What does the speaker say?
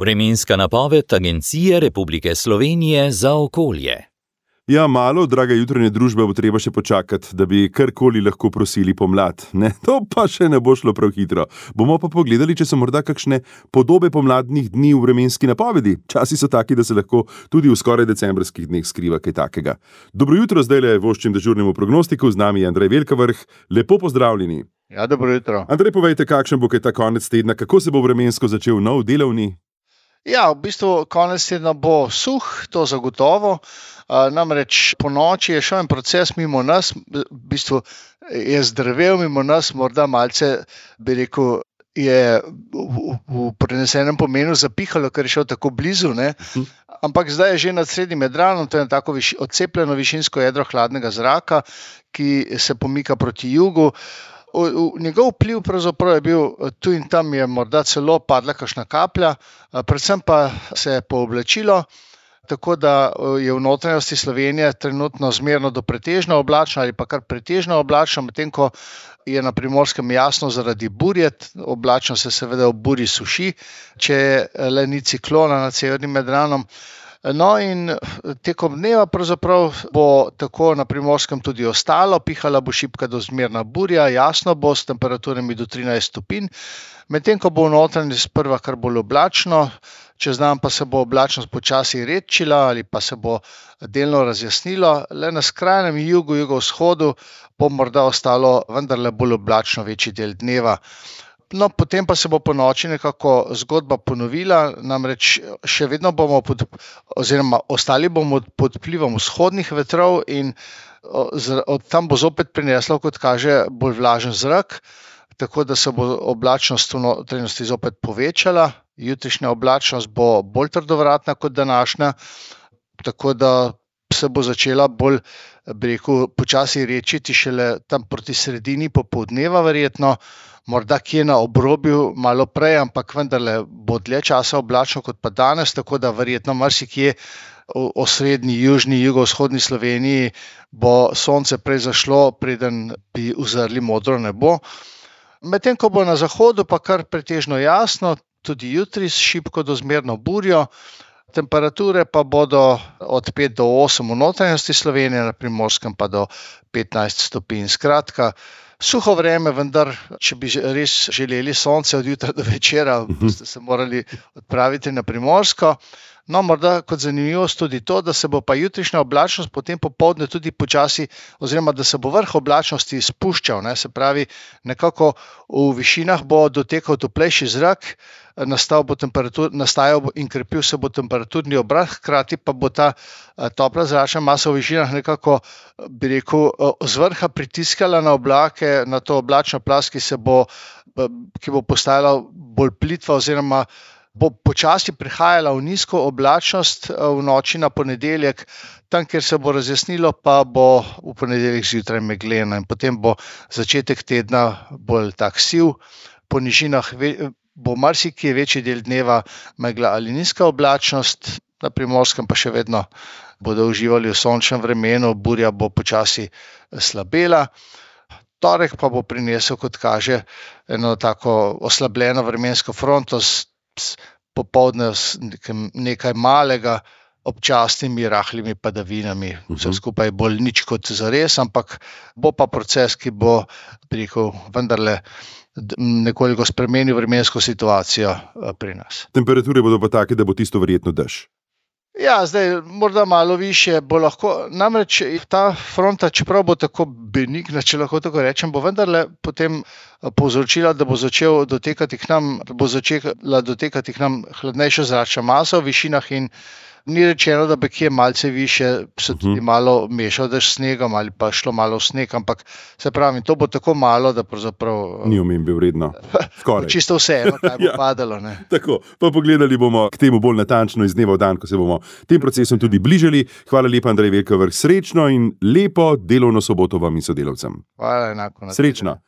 Vremenska napoved Agencije Republike Slovenije za okolje. Ja, malo, draga jutranje družbe, bo treba še počakati, da bi karkoli lahko prosili pomlad. Ne, to pa še ne bo šlo prav hitro. Bomo pa pogledali, če so morda kakšne podobe pomladnih dni v vremenski napovedi. Časi so taki, da se lahko tudi v skoraj decembrskih dneh skriva kaj takega. Dobro jutro, zdajle voščim dežurnemu prognostiku, z nami je Andrej Velkavrh. Lepo pozdravljeni. Ja, dobro jutro. Andrej, povejte, kakšen bo kaj ta konec tedna, kako se bo vremensko začel nov delovni? Ja, v bistvu konec tedna bo suh, to zagotovo. Namreč po noči je šel en proces mimo nas, v bistvu je zdrvel mimo nas, morda malce, bi rekel, je v prenesenem pomenu zapihalo, ker je šel tako blizu, ne? Ampak zdaj je že nad srednjim Jadranom, to je tako odcepljeno višinsko jedro hladnega zraka, ki se pomika proti jugu. Njegov vpliv pravzaprav je bil tu in tam, je morda celo padla kakšna kaplja, predvsem pa se je pooblačilo, tako da je v notranjosti Slovenije trenutno zmerno do pretežno oblačno ali pa kar pretežno oblačno, medtem ko je na Primorskem jasno zaradi burje, oblačno se seveda ob burji suši, če le ni ciklona nad severnim Jadranom. No in tekom dneva pravzaprav bo tako na Primorskem tudi ostalo, pihala bo šibka do zmerna burja, jasno bo s temperaturami do 13 stopinj, medtem ko bo v notranjosti sprva kar bolj oblačno, čez dan pa se bo oblačnost počasi redčila ali pa se bo delno razjasnilo, le na skrajnem jugu, jugovzhodu bo morda ostalo vendarle bolj oblačno večji del dneva. No, potem pa se bo po noči nekako zgodba ponovila, namreč še vedno bomo ostali bomo pod vplivom vzhodnih vetrov in od tam bo zopet prineslo, kot kaže, bolj vlažen zrak, tako da se bo oblačnost v notranjosti zopet povečala. Jutrišnja oblačnost bo bolj trdovratna kot današnja, tako da se bo začela bolj, bi rekel, počasi redčiti šele tam proti sredini popoldneva verjetno, morda kje na obrobju malo prej, ampak vendarle bo dlje časa oblačno kot pa danes, tako da verjetno marsikje v osrednji, južni, jugovzhodni Sloveniji bo sonce prej zašlo, preden bi uzrli modro nebo. Medtem ko bo na zahodu pa kar pretežno jasno, tudi jutri s šibko do zmerno burjo, temperature pa bodo od 5 do 8 v notranjosti Slovenije, na Primorskem pa do 15 stopinj. Skratka, suho vreme, vendar, če bi res želeli sonce od jutra do večera, boste se morali odpraviti na Primorsko. No, morda kot zanimivost tudi to, da se bo pa jutrišnja oblačnost potem popoldne tudi počasi, oziroma da se bo vrh oblačnosti spuščal, ne, se pravi, nekako v višinah bo dotekal toplejši zrak, nastajal in krepil se bo temperaturni obrat, hkrati pa bo ta topla zračna masa v višinah nekako, bi rekel, z vrha pritiskala na oblake, na to oblačno plast, ki bo postajala bolj plitva oziroma bo počasi prihajala v nizko oblačnost v noči na ponedeljek, tam, kjer se bo razjasnilo, pa bo v ponedeljek zjutraj megleno in potem bo začetek tedna bolj tak siv, po nižinah bo marsikje večji del dneva megla ali nizka oblačnost, na Primorskem pa še vedno bodo uživali v sončnem vremenu, burja bo počasi slabela. Torek pa bo prinesel, kot kaže, eno tako oslabljeno vremensko fronto popoldne s nekaj malega občasnimi rahlimi padavinami. Vse skupaj bolj nič kot zares, ampak bo pa proces, ki bo, bi rekel, vendarle nekoliko spremenil vremensko situacijo pri nas. Temperature bodo pa take, da bo tisto verjetno dež. Ja, zdaj morda malo višje bo lahko, namreč ta fronta, čeprav bo tako benigna, če lahko tako rečem, bo vendarle potem povzročila, da bo začela dotekati k nam hladnejša zračna masa v višinah in ni rečeno, da bi kje malce više se tudi malo mešal dež s snegom ali pa šlo malo v sneg, ampak se pravi, to bo tako malo, da pravzaprav ni omembe vredno. Skoraj. Čisto vseeno, kaj bo padalo. Ne? Tako, pa pogledali bomo k temu bolj natančno iz dneva v dan, ko se bomo tem procesom tudi bližali. Hvala lepa, Andrej Velkavrh, srečno in lepo delovno soboto vam in sodelavcem. Hvala, enako. Srečno.